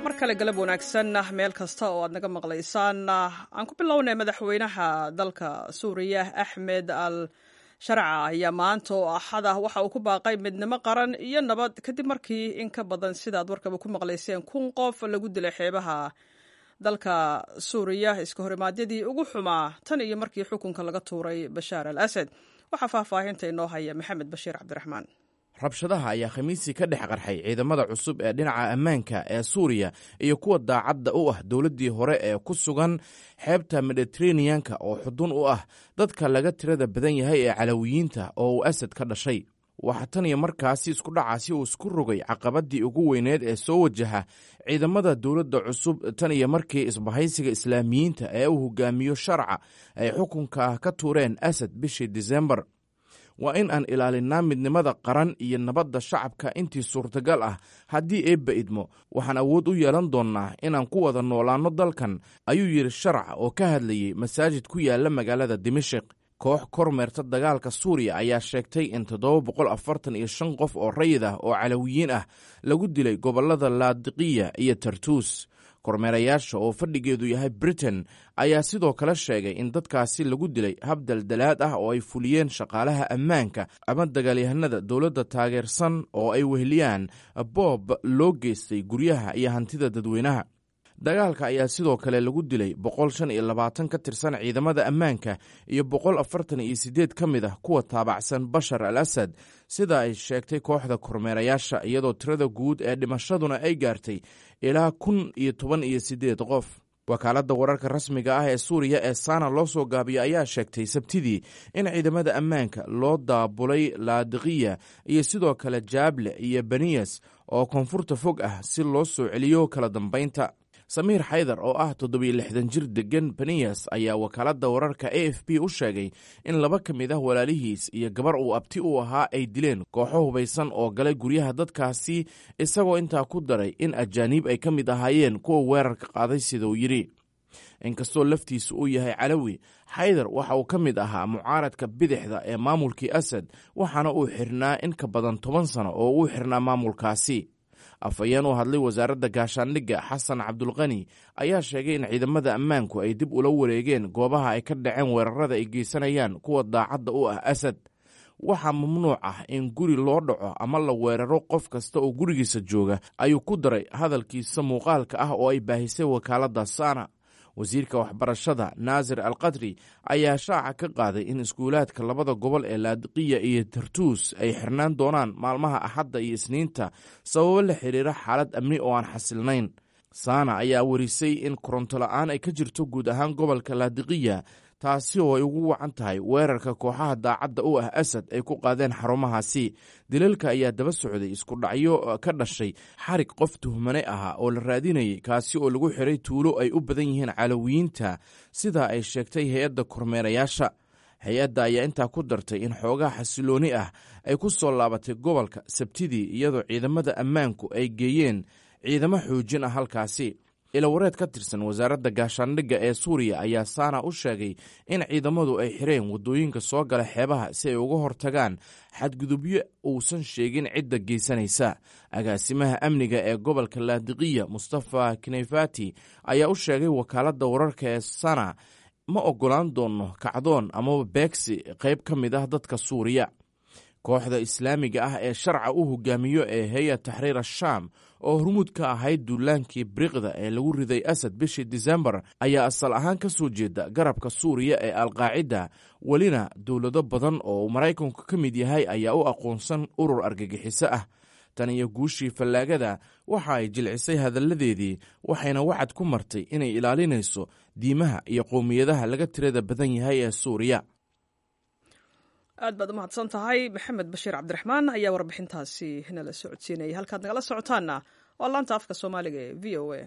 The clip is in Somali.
Mar kale galab wanaagsan meel kasta oo aad naga maqlaysaan. Aan ku bilownay, madaxweynaha dalka Suuriya Axmed al Sharca ayaa maanta oo Axad ah waxa uu ku baaqay midnimo qaran iyo nabad, kadib markii in ka badan, sidaad warkaba ku maqlayseen, 1000 qof lagu dilay xeebaha dalka Suuriya iska horimaadyadii ugu xumaa tan iyo markii xukunka laga tuuray Bashaar al Asad. Waxaa faahfaahinta inoo haya Maxamed Bashiir Cabdiraxmaan. Rabshadaha ayaa Khamiisii ka dhex qarxay ciidamada cusub ee dhinaca ammaanka ee Suuriya iyo kuwa daacadda u ah dowladdii hore ee ku sugan xeebta Mediteraneanka oo xudun u ah dadka laga tirada badan yahay ee Calawiyiinta oo uu Asad ka dhashay. Waxaa tan iyo markaasi iskudhacaasi uu isku rogay caqabaddii ugu weyneed ee soo wajaha ciidamada dowladda cusub tan iyo markii isbahaysiga Islaamiyiinta ee uu hogaamiyo Sharca ay xukunka ka tuureen Asad bishii Disembar. "Waa in aan ilaalinnaa midnimada qaran iyo nabadda shacabka intii suurtagal ah. Haddii Eebba idmo, waxaan awood u yeelan doonnaa inaan ku wada noolaanno dalkan," ayuu yidhi Sharca oo ka hadlayey masaajid ku yaala magaalada Dimashik. Koox kormeerta dagaalka Suuriya ayaa sheegtay in 745 qof oo rayid ah oo Calawiyiin ah lagu dilay gobollada Laadiqiya iyo Tartuus. Kormeerayaasha oo fadhigeedu yahay Britain ayaa sidoo kale sheegay in dadkaasi lagu dilay hab daldalaad ah oo ay fuliyeen shaqaalaha ammaanka ama dagaalyahanada dowladda taageersan oo ay weheliyaan boob loo geystay guryaha iyo hantida dadweynaha. Dagaalka ayaa sidoo kale lagu dilay 125 ka tirsan ciidamada ammaanka iyo 148 ka mid ah kuwa taabacsan Bashar al Asad, sida ay sheegtay kooxda kormeerayaasha, iyadoo tirada guud ee dhimashaduna ay gaartay ilaa 1018 qof. Wakaaladda wararka rasmiga ah ee Suuriya ee Saana loo soo gaabiyo ayaa sheegtay Sabtidii in ciidamada ammaanka loo daabulay Laadiqiya iyo sidoo kale Jaable iyo Baniyas oo koonfurta fog ah si loo soo celiyo kala dambeynta. Samiir Xaydar oo ah 67 jir degan Baniyas ayaa wakaaladda wararka AFP u sheegay in laba ka mid ah walaalihiis iyo gabar uu abti u ahaa ay dileen kooxo hubaysan oo galay guryaha dadkaasi, isagoo intaa ku daray in ajaaniib ay ka mid ahaayeen kuwa weerarka qaaday, siduu yidhi. Inkastoo laftiisu uu yahay Calawi, Xaydar waxa uu ka mid ahaa mucaaradka bidixda ee maamulkii Asad, waxaana uu xirnaa in ka badan 10 sano oo uu xirnaa maamulkaasi. Afhayeen u hadlay wasaaradda gaashaandhigga, Xasan Cabdulqani, ayaa sheegay in ciidamada ammaanku ay dib ula wareegeen goobaha ay ka dhaceen weerarada ay geysanayaan kuwa daacadda u ah Asad. "Waxaa mamnuuc ah in guri loo dhaco ama la weeraro qof kasta oo gurigiisa jooga," ayuu ku daray hadalkiisa muuqaalka ah oo ay baahisay wakaaladda Saana. Wasiirka waxbarashada Naasir Al Qadri ayaa shaaca ka qaaday in iskuulaadka labada gobol ee Laadiqiya iyo Tartuus ay xirnaan doonaan maalmaha Axadda iyo Isniinta sababo la xiriira xaalad amni oo aan xasilnayn. Saana ayaa warisay in koronto la-aan ay ka jirto guud ahaan gobolka Laadiqiya, taasi oo ay ugu wacan tahay weerarka kooxaha daacadda u ah Asad ay ku qaadeen xarumahaasi. Dilalka ayaa daba socday isku dhacyo ka dhashay xarig qof tuhmane ahaa oo la raadinayay, kaasi oo lagu xiray tuulo ay u badan yihiin Calawiyiinta, sida ay sheegtay hay-adda kormeerayaasha. Hay-adda ayaa intaa ku dartay in xoogaa xasilooni ah ay ku soo laabatay gobolka Sabtidii, iyadoo ciidamada ammaanku ay geeyeen ciidamo xoojin ah halkaasi. Ilawareed ka tirsan wasaaradda gaashaandhigga ee Suuriya ayaa Saana u sheegay in ciidamadu ay xireen waddooyinka soo gala xeebaha si ay uga hortagaan xadgudubyo uusan sheegin cidda geysanaysa. Agaasimaha amniga ee gobolka Laadiqiya, Mustafa Kneyfati, ayaa u sheegay wakaaladda wararka ee Sana: "Ma oggolaan doonno kacdoon amaba beegsi qayb ka mid ah dadka Suuriya." Kooxda Islaamiga ah ee Sharca u hogaamiyo ee Hay-a Taxriir Ashaam, oo hormuud ka ahayd duulaankii biriqda ee lagu riday Asad bishii Disembar, ayaa asal ahaan ka soo jeeda garabka Suuriya ee Alqaacida. Welina dowlado badan oo uu Maraykanku ka mid yahay ayaa u aqoonsan urur argagixiso ah. Tan iyo guushii fallaagada, waxa ay jilcisay hadalladeedii, waxayna wacad ku martay inay ilaalinayso diimaha iyo qowmiyadaha laga tirada badan yahay ee Suuriya. Aad baad u mahadsan tahay, Maxamed Bashiir Cabdiraxmaan ayaa warbixintaasi nala socodsiinayay. Halkaad nagala socotaanna waa laanta afka Soomaaliga ee VOA.